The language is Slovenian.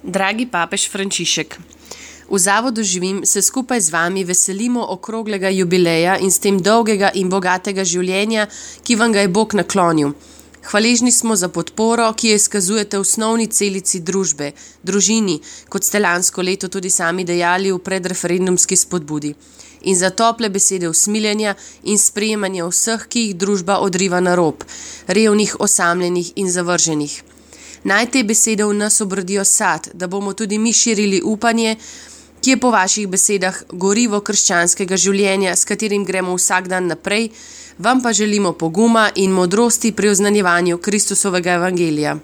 Dragi papež Frančišek, v Zavodu Živim se skupaj z vami veselimo okroglega jubileja in s tem dolgega in bogatega življenja, ki vam ga je Bog naklonil. Hvaležni smo za podporo, ki jo izkazujete osnovni celici družbe, družini, kot ste lansko leto tudi sami dejali v predreferendumski spodbudi. In za tople besede usmiljenja in sprejemanja vseh, ki jih družba odriva na rob, revnih, osamljenih in zavrženih. Naj te besede v nas obrodijo sad, da bomo tudi mi širili upanje, ki je po vaših besedah gorivo krščanskega življenja, s katerim gremo vsak dan naprej, vam pa želimo poguma in modrosti pri oznanjevanju Kristusovega evangelija.